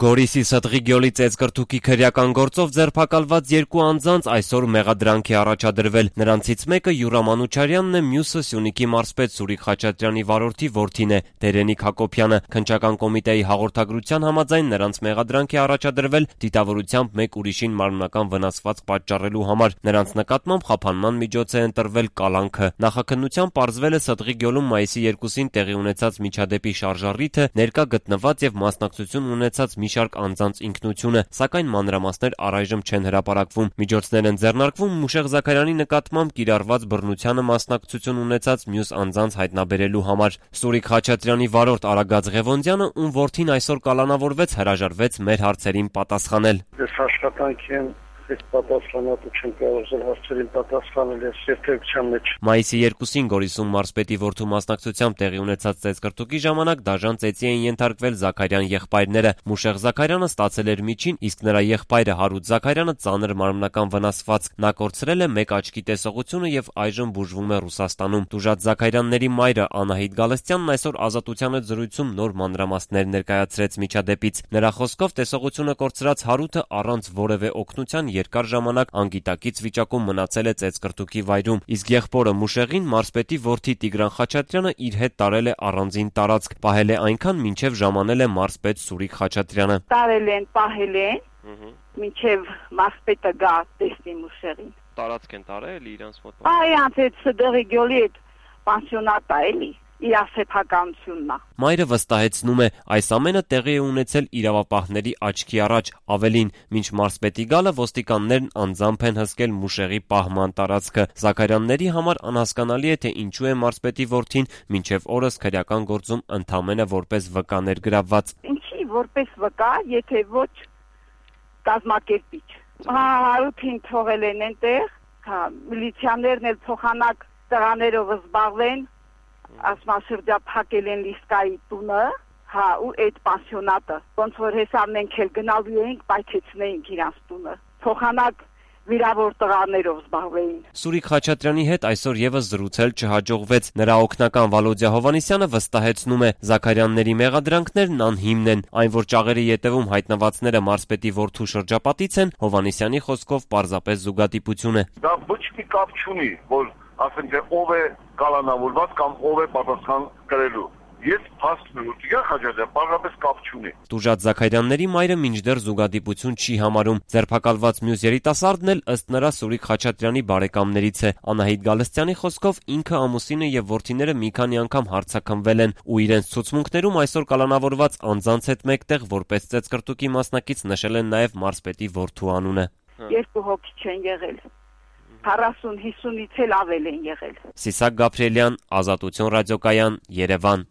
Գորիսի Ստրի գյուղի ծեծկրտուքի քրեական գործով ձերբակալված երկու անձանց այսօր մեղադրանք է առաջադրվել։ Նրանցից մեկը Յուրա Մանուչարյանն է, մյուսը Սյունիքի մարզպետ Սուրիկ Խաչատրյանի վարորդի որդին է, Դերենիկ Հակոբյանը։ Քննչական կոմիտեի հաղորդագրության համաձայն նրանց մեղադրանք է առաջադրվել դիտավորությամբ մեկ ուրիշին մարմնական վնասվածք պատճառելու համար։ Նրանց նկատմամբ խափանման միջոց է ընտրվել կալանքը։ Նախաքննությամբ պարզվել է Ստրի գյուղում մայիսի 2-ին տեղի ունեցած միջադեպի շարժառիթը, ներկա գտնված եւ մասնակցություն ունեցած մի շարք անձանց ինքնությունը, սակայն մանրամասներ առայժմ չեն հրապարակվում։ Միջոցներ են ձեռնարկվում Մուշեղ Զաքարյանի նկատմամբ կիրառված բռնությանը մասնակցություն ունեցած մյուս անձանց հայտնաբերելու համար։ Սուրիկ Խաչատրյանի վարորդ Արագած Ղևոնդյանը, ում որդին այսօր կալանավորվեց, հրաժարվեց մեր հարցերին պատասխանել։ Ես աշխատանքի եմ պատասխանատու չեմ կարող հարցերին պատասխանել ես երթևեկության մեջ։ Մայիսի 2-ին Գորիսում մարզպետի որդու մասնակցությամբ տեղի ունեցած ծեծկրտուքի ժամանակ դաժան ծեծի էին ենթարկվել Զաքարյան եղբայրները։ Մուշեղ Զաքարյանը ստացել էր միջին, իսկ նրա եղբայրը Հարութ Զաքարյանը ծանր մարմնական վնասվածք։ Նա կորցրել է մեկ աչքի տեսողությունը եւ այժմ բուժվում է Ռուսաստանում։ Տուժած Զաքարյանների մայրը Անահիտ Գալստյանն այսօր Ազատության հետ զրույցում նոր մանրամասներ ներկայացրեց միջադեպից։ Նրա խոսքով տեսողությունը կորցրած Հարութը առանց որևէ օգնության երկար ժամանակ անգիտակից վիճակում մնացել է ծեծկրտուքի վայրում, իսկ եղբորը Մուշեղին մարզպետի որդի Տիգրան Խաչատրյանը իր հետ տարել է առանձին տարածք, պահել է այնքան, մինչև ժամանել է մարզպետ Սուրիկ Խաչատրյանը։ Տարել են, պահել են, մինչև մարզպետը գա տեսնի Մուշեղին։ Տարածք են տարել իրանց մոտ։ Այ անց Ստրի գյուղի հետ պանսիոնատ է էլի։ Իրասեփականությունն է։ Մայրը վստահեցնում է, այս ամենը տեղի է ունեցել իրավապահների աչքի առաջ, ավելին, մինչ մարզպետի գալը ոստիկաններն անձամբ են հսկել Մուշեղի պահման տարածքը։ Զաքարյանների համար անհասկանալի է, թե ինչու է մարզպետի որդին մինչև օրս քրեական գործում ընդամենը որպես վկա ներգրավված։ Ինչի որպես վկա, եթե ոչ կազմակերպիչ։ Հարութին թողել են այնտեղ, միլիցիաներն էլ փոխանակ տղաներով զբաղվեն, ասմասրդափակել են Լիսկայի տունը, ու այդ պանսիոնատը, ոնց որ հեսա մենք էլ գնալու էինք, պայթեցնեինք իրանց տունը, փոխանակ վիրավոր տղաներով զբաղվեին։ Սուրիկ Խաչատրյանի հետ այսօր եւս զրուցել չհաջողվեց։ Նրա օգնական Վալոդիա Հովանեսյանը վստահեցնում է, Զաքարյանների մեղադրանքներն անհիմն են, այն որ ճաղերի ետևում հայտնվածները մարզպետի որդու շրջապատից են, Հովանեսյանի խոսքով պարզապես զուգադիպություն է։ Դա ոչ մի կապ չունի, որ ասենք թե ով է կալանավորված կամ ով է պատասխան կրելու։ Ես փաստում եմ, որ Տիգրան Խաչատրյանը պարզապես կապ չունի։ Տուժած Զաքարյանների մայրը մինչդեռ զուգադիպություն չի համարում։ Ձերբակալված մյուս երիտասարդն էլ ըստ նրա Սուրիկ Խաչատրյանի բարեկամներից է։ Անահիտ Գալստյանի խոսքով ինքը, ամուսինը եւ որդիները մի քանի անգամ հարցաքնվել են ու իրենց ցուցմունքներում այսօր կալանավորված անձանց հետ մեկտեղ որպես ծեծկրտուքի մասնակից նշել են նաեւ մարզպետի որդու անունը։ Երկու հոգի չեն եղել։ 40-50-ից էլ ավել են եղել։ Սիսակ Գաբրիելյան, Ազատություն ռադիոկայան, Երևան։